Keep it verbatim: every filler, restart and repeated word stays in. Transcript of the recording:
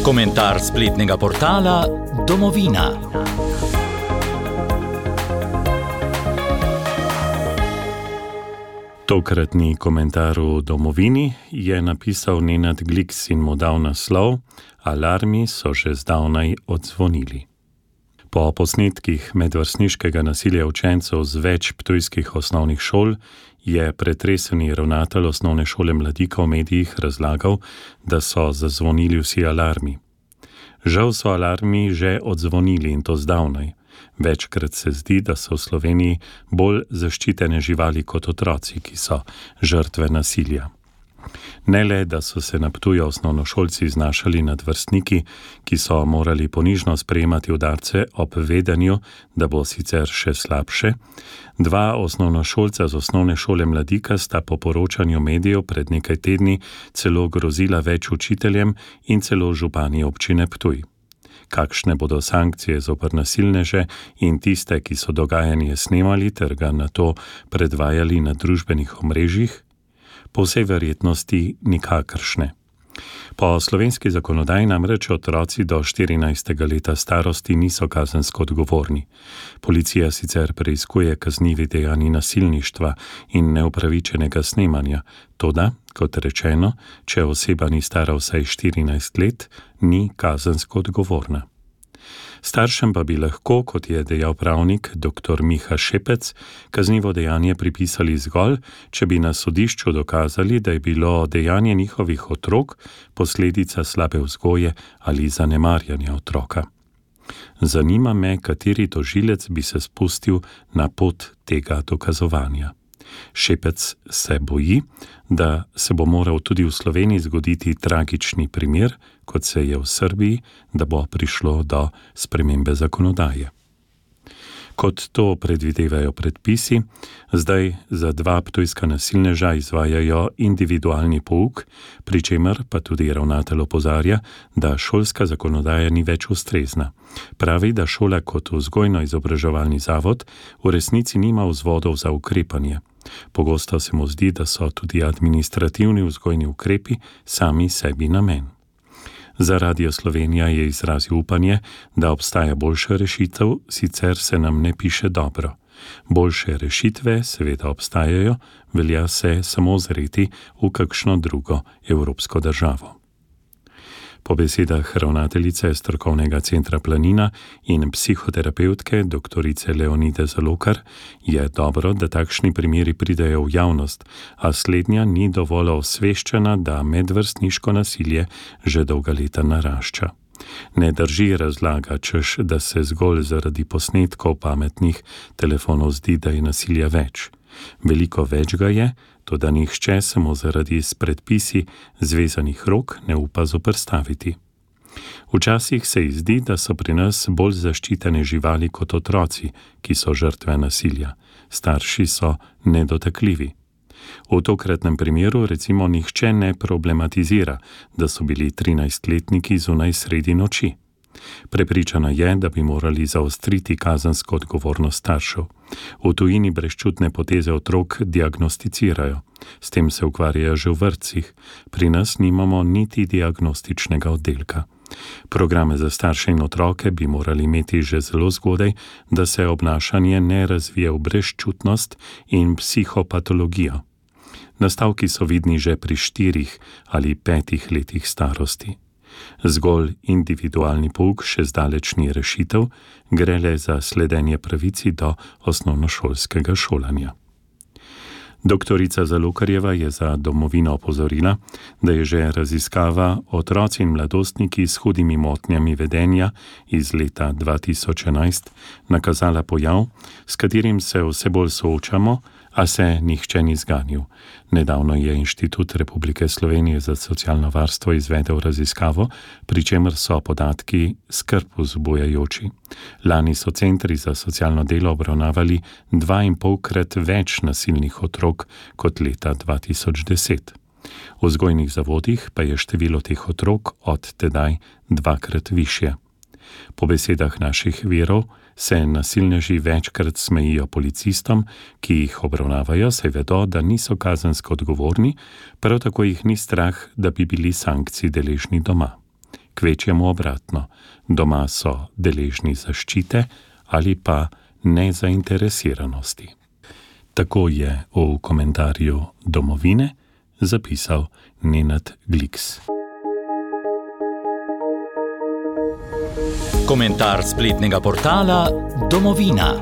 Komentar spletnega portala Domovina. Tokratni komentar v Domovini je napisal Nenad Gliks in mu dal naslov Alarmi so že zdavnaj odzvonili. Po posnetkih medvrstniškega nasilja učencev z več ptujskih osnovnih šol je pretreseni ravnatelj osnovne šole Mladika v medijih razlagal, da so zazvonili vsi alarmi. Žal so alarmi že odzvonili in to zdavnaj. Večkrat se zdi, da so v Sloveniji bolj zaščitene živali kot otroci, ki so žrtve nasilja. Ne le, da so se na Ptuju osnovnošolci znašali nad vrstniki, ki so morali ponižno sprejemati udarce ob vedenju, da bo sicer še slabše. Dva osnovnošolca z osnovne šole Mladika sta po poročanju medijev pred nekaj tedni celo grozila več učiteljem in celo župani občine Ptuj. Kakšne bodo sankcije zoper nasilneže in tiste, ki so dogajanje snemali ter ga nato predvajali na družbenih omrežjih? Po vsej verjetnosti nikakršne. Po slovenski zakonodaji namreč otroci do štirinajstega leta starosti niso kazensko odgovorni. Policija sicer preiskuje kaznivi dejanji nasilništva in neupravičenega snemanja, toda, kot rečeno, če oseba ni stara vsaj štirinajst let, ni kazensko odgovorna. Staršem pa bi lahko, kot je dejal pravnik dr. Miha Šepec, kaznivo dejanje pripisali zgolj, če bi na sodišču dokazali, da je bilo dejanje njihovih otrok posledica slabe vzgoje ali zanemarjanja otroka. Zanima me, kateri tožilec bi se spustil na pot tega dokazovanja. Šepec se boji, da se bo moral tudi v Sloveniji zgoditi tragični primer, kot se je v Srbiji, da bo prišlo do spremembe zakonodaje. Kot to predvidevajo predpisi, zdaj za dva ptujska nasilneža izvajajo individualni pouk, pri čemer pa tudi ravnatelj opozarja, da šolska zakonodaja ni več ustrezna. Pravi, da šola kot vzgojno-izobraževalni zavod v resnici nima vzvodov za ukrepanje. Pogosto se mu zdi, da so tudi administrativni vzgojni ukrepi sami sebi namen. Za Radio Slovenija je izrazil upanje, da obstaja boljša rešitev, sicer se nam ne piše dobro. Boljše rešitve seveda obstajajo, velja se samo zreti v kakšno drugo evropsko državo. Po besedah ravnateljice strokovnega centra Planina in psihoterapevtke doktorice Leonide Zalokar je dobro, da takšni primeri pridejo v javnost, a slednja ni dovolj osveščena, da medvrstniško nasilje že dolga leta narašča. Ne drži razlaga, češ, da se zgolj zaradi posnetkov pametnih telefonov zdi, da je nasilja več. Veliko več ga je, toda nihče se mu zaradi s predpisi zvezanih rok ne upa zoperstaviti. Včasih se ji zdi, da so pri nas bolj zaščitene živali kot otroci, ki so žrtve nasilja. Starši so nedotakljivi. V tokratnem primeru recimo nihče ne problematizira, da so bili trinajstletniki zunaj sredi noči. Prepričana je, da bi morali zaostriti kazensko odgovornost staršev. V tujini brezčutne poteze otrok diagnosticirajo. S tem se ukvarjajo že v vrtcih. Pri nas nimamo niti diagnostičnega oddelka. Programe za starše in otroke bi morali imeti že zelo zgodaj, da se obnašanje ne razvije v brezčutnost in psihopatologijo. Nastavki so vidni že pri štirih ali petih letih starosti. Zgolj individualni pouk še zdaleč ni rešitev, gre le za sledenje pravici do osnovnošolskega šolanja. Doktorica Zalokarjeva je za Domovino opozorila, da je že raziskava Otroci in mladostniki s hudimi motnjami vedenja iz leta dva tisoč enajst nakazala pojav, s katerim se vse bolj soočamo, a se nihče ni zganil. Nedavno je Inštitut Republike Slovenije za socialno varstvo izvedel raziskavo, pri čemer so podatki skrb vzbujajoči. Lani so centri za socialno delo obravnavali dvainpolkrat več nasilnih otrok kot leta dva tisoč deset. V vzgojnih zavodih pa je število teh otrok od tedaj dvakrat višje. Po besedah naših virov se nasilneži večkrat smejijo policistom, ki jih obravnavajo, saj vedo, da niso kazensko odgovorni, prav tako jih ni strah, da bi bili sankcij deležni doma. kvečjemu obratno, doma so deležni zaščite ali pa nezainteresiranosti. Tako je v komentarju Domovine zapisal Nenad Gliks. Komentar spletnega portala Domovina.